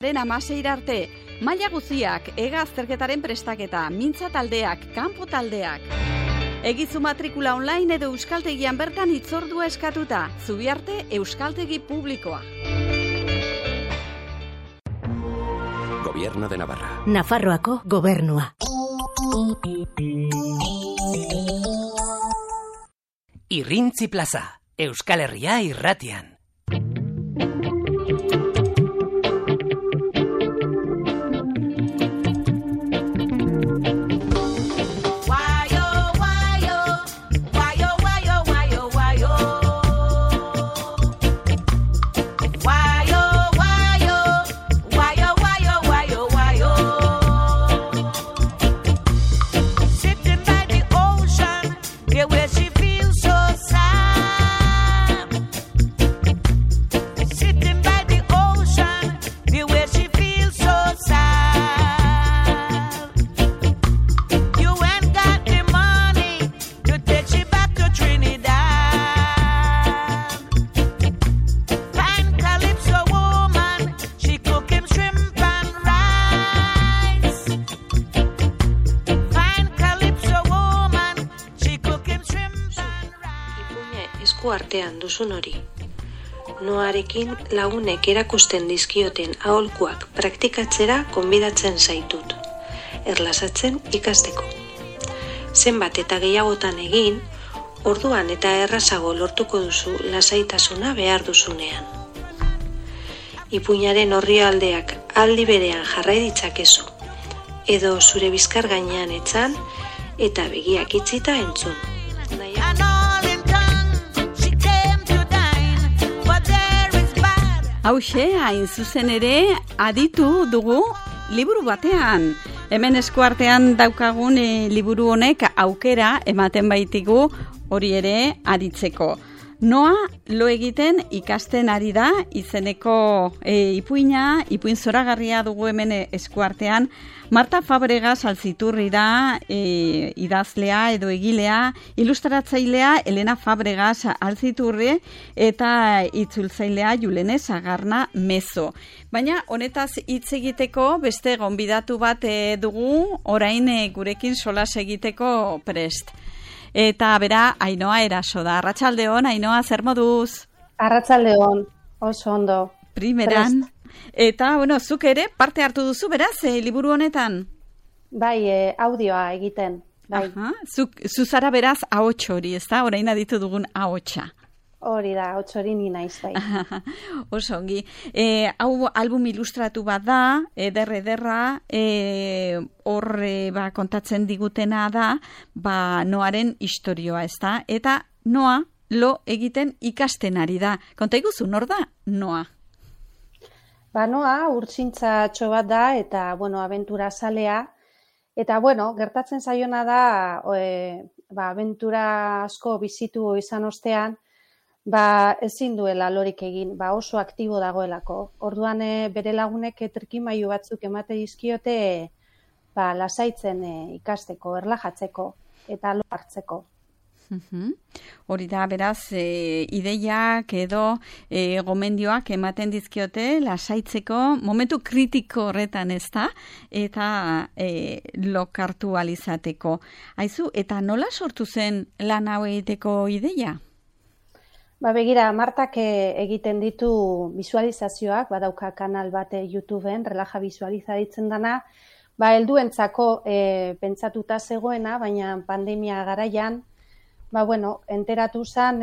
Amaseir arte, maila guziak, ega azterketaren prestaketa, mintza taldeak, kanpo taldeak. Egizu matrikula online edo euskaltegian bertan hitzordua eskatuta, Zubiarte Euskaltegi Publikoa. Gobierno de Navarra. Nafarroako gobernua. Irrintzi plaza, Euskal Herria irratian. Artean duzun hori. Noarekin lagunek erakusten dizkioten aholkuak praktikatzera gonbidatzen zaitut. Erlasatzen ikasteko. Zenbat eta gehiagotan egin, orduan eta errazago lortuko duzu lasaitasuna behar duzunean. Ipuinaren orrialdeak aldi berean jarrai ditzakezu, edo zure bizkar gainean etzan eta begiak itxita entzun. Hauxe, hain zuzen ere, aditu dugu liburu batean. Hemen eskuartean daukagun liburu honek aukera ematen baitigu hori ere aditzeko. Noa lo egiten ikasten ari da izeneko ipuin zoragarria dugu hemen eskuartean. Marta Fabregas Alziturri da idazlea edo egilea, ilustratzailea Elena Fabregas Alziturri eta itzultzailea Julene Sagarna Mezo. Baina honetaz hitz egiteko beste gonbidatu bat dugu orain gurekin solas egiteko prest. Eta bera, Ainhoa Eraso da. Arratsaldeon, Ainhoa, zer moduz? Arratsaldeon, oso ondo. Primeran. Eta, zuk ere parte hartu duzu, beraz, liburu honetan? Bai, audioa egiten. Bai. Aha, zu zara beraz ahots hori, ezta? Orain aditu dugun ahotsa. Hori da, ahots hori ni naiz, bai. Oso ongi. Hau album ilustratu bat da, ederra, horre kontatzen digutena da, Noaren istorioa, ezta? Eta Noa lo egiten ikasten ari da. Konta iguzu, nor da Noa? Noa urtsintxatxo bat da eta, abentura zalea. Eta, gertatzen zaiona da, abentura asko bizitu izan ostean, ezin duela lorik egin, oso aktibo dagoelako. Orduan bere lagunek trikimailu batzuk emate dizkiote lasaitzen ikasteko, erlajatzeko eta lo hartzeko. Hori da, beraz, ideiak edo gomendioak ematen dizkiote lasaitzeko momentu kritiko horretan, ez da? Eta lokartu alizateko. Aizu, eta nola sortu zen lan hau egiteko ideia? Begira, Martak egiten ditu visualizazioak, badauka kanal bat YouTubeen, relaja visualizatzen dana, helduentzako pentsatuta zegoena, baina pandemia garaian, enteratu zen,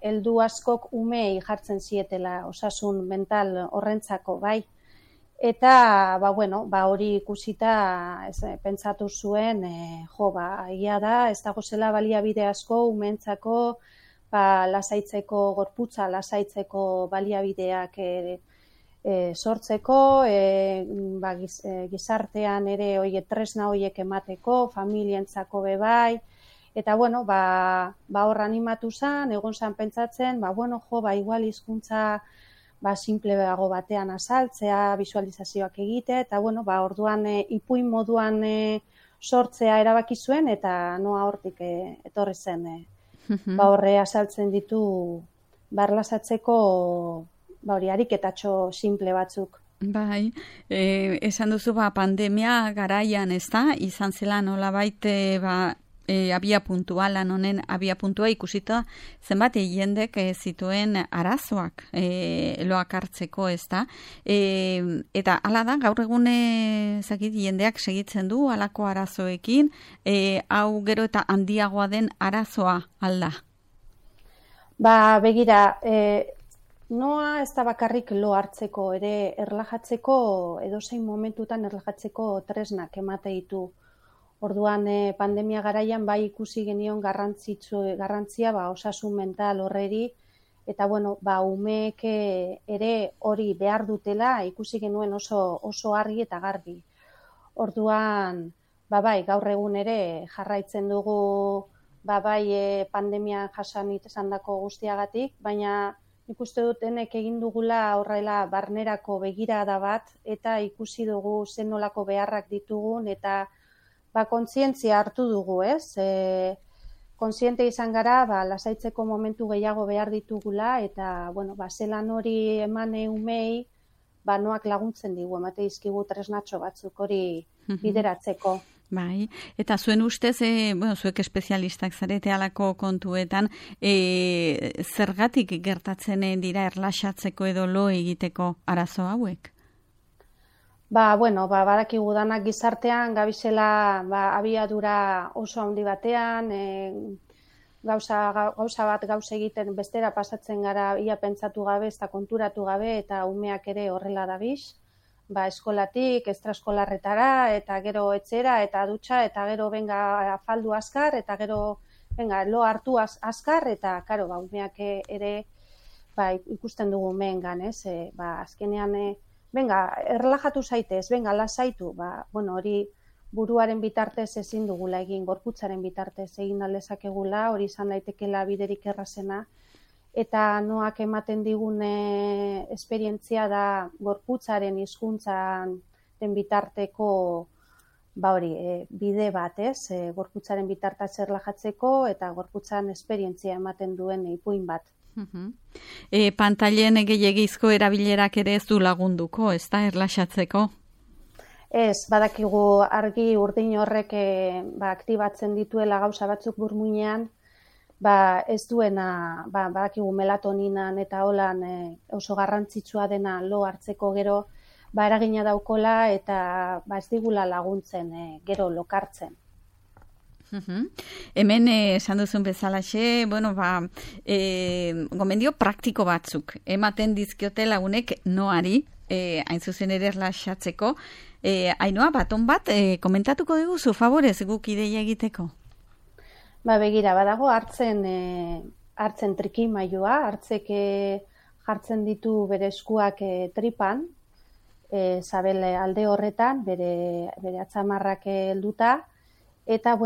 heldu askok umei jartzen zietela osasun mental horrentzako, bai. Eta, hori ikusita pentsatu zuen, egia da, ez dago zela baliabide asko umeentzako, lasaitzeko, gorputza lasaitzeko baliabideak sortzeko, gizartean ere tresna horiek emateko, familientzako bebai, eta hor animatu zen, egon zen pentsatzen, igual hizkuntza simpleago batean azaltzea, visualizazioak egite, eta orduan ipuin moduan sortzea erabaki zuen, eta Noa hortik etorri zen. Horre azaltzen ditu barlasatzeko ariketatxo simple batzuk. Bai, esan duzu pandemia garaian, ezta? Izan zela nolabait abia puntua, lan honen abia puntua ikusita zenbat jendek zituen arazoak loak hartzeko, ezta? Eta hala da, gaur egun jendeak segitzen du halako arazoekin, hau gero eta handiagoa den arazoa alda? Ba, begira, noa ez da bakarrik lo hartzeko, ere erlajatzeko, edozein momentutan erlajatzeko tresnak emate ditu. Orduan, pandemia garaian bai ikusi genion garrantzia osasun mental horreri, eta umeek ere hori behar dutela ikusi genuen oso argi eta garbi. Orduan, bai, gaur egun ere jarraitzen dugu pandemian jasan izandako guztiagatik, baina ikuste dutenek egin dugula horrela barnerako begirada bat, eta ikusi dugu zen nolako beharrak ditugun, eta kontzientzia hartu dugu, ez? Kontziente izan gara, lasaitzeko momentu gehiago behar ditugula, eta, zelan hori eman umei, noak laguntzen digu, emate dizkigu tresnatxo batzuk hori bideratzeko. Bai, eta zuen ustez, zuek espezialistak zarete alako kontuetan, zergatik gertatzen dira erlaxatzeko edo lo egiteko arazo hauek? Badakigu danak gizartean, gabizela abiadura oso handi batean, gauza bat gauza egiten bestera pasatzen gara ia pentsatu gabe, ez da konturatu gabe, eta umeak ere horrela dabiz. Eskolatik, extraeskolarretara, eta gero etxera, eta dutxa, eta gero afaldu azkar, eta gero lo hartu azkar, eta umeak ere ikusten dugu umeengan, ez? Azkenean, erlajatu zaitez, lasaitu, hori buruaren bitartez ezin dugula egin, gorputzaren bitartez egin aldezakegula, hori izan daitekela biderik errazena, eta noak ematen digun esperientzia da gorputzaren hizkuntzan den bitarteko bide bat, ez? Gorputzaren bitartaz erlajatzeko eta gorputzan esperientzia ematen duen ipuin bat. Pantailen gehiegizko erabilerak ere ez du lagunduko, ez da, erlaxatzeko? Ez, badakigu argi urdin horrek aktibatzen dituela gauza batzuk burmuinean, ez duena, badakigu melatoninan eta holan oso garrantzitsua dena lo hartzeko gero, eragina daukola eta ez digula laguntzen gero lokartzen. Hemen esan duzun bezalaxe, gomendio praktiko batzuk ematen dizkiote lagunek noari, hain zuzen ere erlaxatzeko. Ainhoa, baton bat, komentatuko diguzu, favorez, guk ideia egiteko? Begira, badago hartzen trikimailua, hartzek jartzen ditu bere eskuak tripan, zabel alde horretan, bere atzamarrak helduta, eta,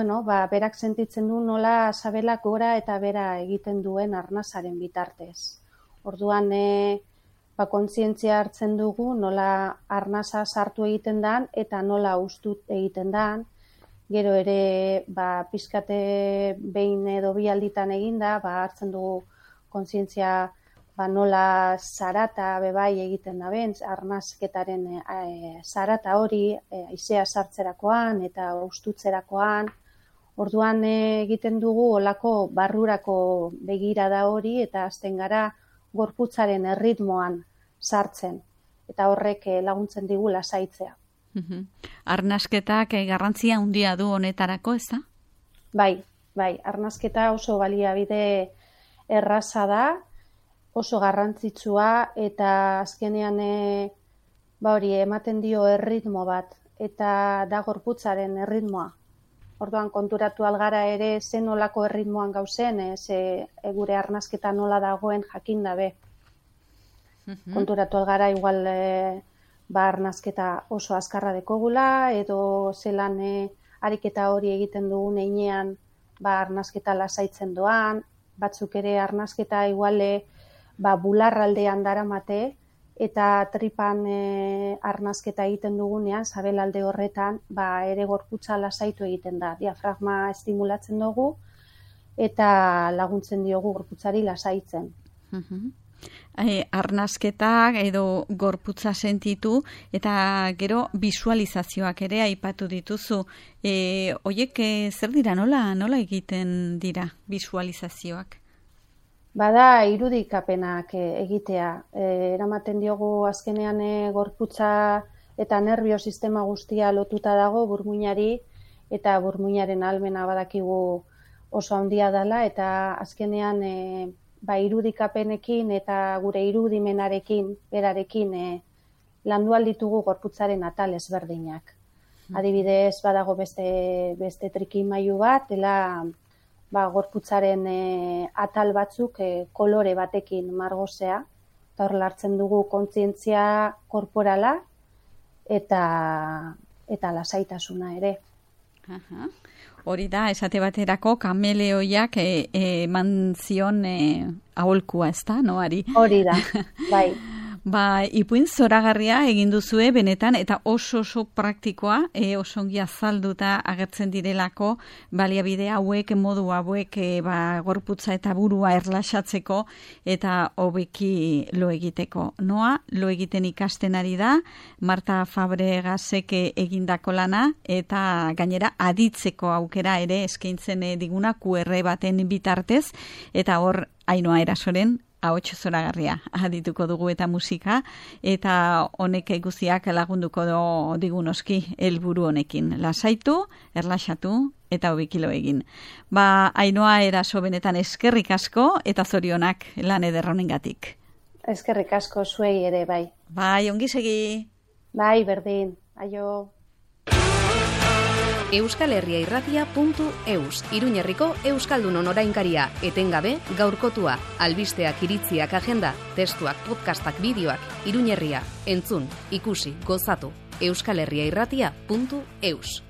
berak sentitzen du nola sabelak gora eta bera egiten duen arnasaren bitartez. Orduan, kontzientzia hartzen dugu nola arnasa sartu egiten dan eta nola ustut egiten dan. Gero ere, pizkate behin edo bi alditan eginda, hartzen dugu kontzientzia nola zarata bebai egiten da ben, arnasketaren zarata hori, haizea sartzerakoan eta ustutzerakoan. Orduan egiten dugu olako barrurako begirada hori eta hasten gara gorputzaren erritmoan sartzen. Eta horrek laguntzen digu lasaitzea. Arnasketak garrantzia handia du honetarako, ez da? Bai, arnasketa oso baliabide erraza da, oso garrantzitsua eta azkenean ematen dio erritmo bat eta da gorputzaren erritmoa. Orduan konturatu algara ere zen nolako erritmoan gauzen, gure arnasketa nola dagoen jakin dabe. Konturatu algara igual arnasketa oso azkarra dekogula edo zelan ariketa hori egiten dugun einean arnasketa lasaitzen doan, batzuk ere arnasketa iguale bularraldean daramate eta tripan arnasketa egiten dugunean, sabelalde horretan, ere gorputza lasaitu egiten da. Diafragma estimulatzen dugu eta laguntzen diogu gorputzari lasaitzen. arnasketak edo gorputza sentitu eta gero visualizazioak ere aipatu dituzu. Hoiek zer dira, nola egiten dira visualizazioak? Bada irudikapenak egitea. Eramaten diogu azkenean gorputza eta nervio sistema guztia lotuta dago burmuinari, eta burmuinaren ahalmena badakigu oso handia dela, eta azkenean irudikapenekin eta gure irudimenarekin, berarekin landu alditugu gorputzaren atal ezberdinak. Adibidez, badago beste trikimailu bat, dela gorputzaren atal batzuk kolore batekin margozea, eta hor lartzen dugu kontzientzia korporala eta lasaitasuna ere. Hori da, esate baterako kameleoiak eman zion aholkua, ez da, noari? Hori da, bai. Ipuin zoragarria egin duzue benetan, eta oso praktikoa, oso ongi azalduta agertzen direlako baliabide hauek, modu hauek gorputza eta burua erlaxatzeko eta hobeki lo egiteko. Noa, lo egiten ikasten ari da, Marta Fabregasek egindako lana, eta gainera aditzeko aukera ere eskaintzen diguna QR baten bitartez, eta hor Ainhoa Erasoren ahots zoragarria adituko dugu eta musika, eta honek guztiak lagunduko digunoski helburu honekin. Lasaitu, erlaxatu eta hobekilo egin. Ainhoa Eraso, benetan eskerrik asko eta zorionak lan eder honengatik. Eskerrik asko zuei ere, bai. Bai, ongi segi. Bai, berdin. Aio. euskalherriairratia.eus, Iruñerriko Euskaldunon orainkaria, etengabe, gaurkotua, albisteak, iritziak, agenda, testuak, podcastak, bideoak, Iruñerria, entzun, ikusi, gozatu, euskalherriairratia.eus.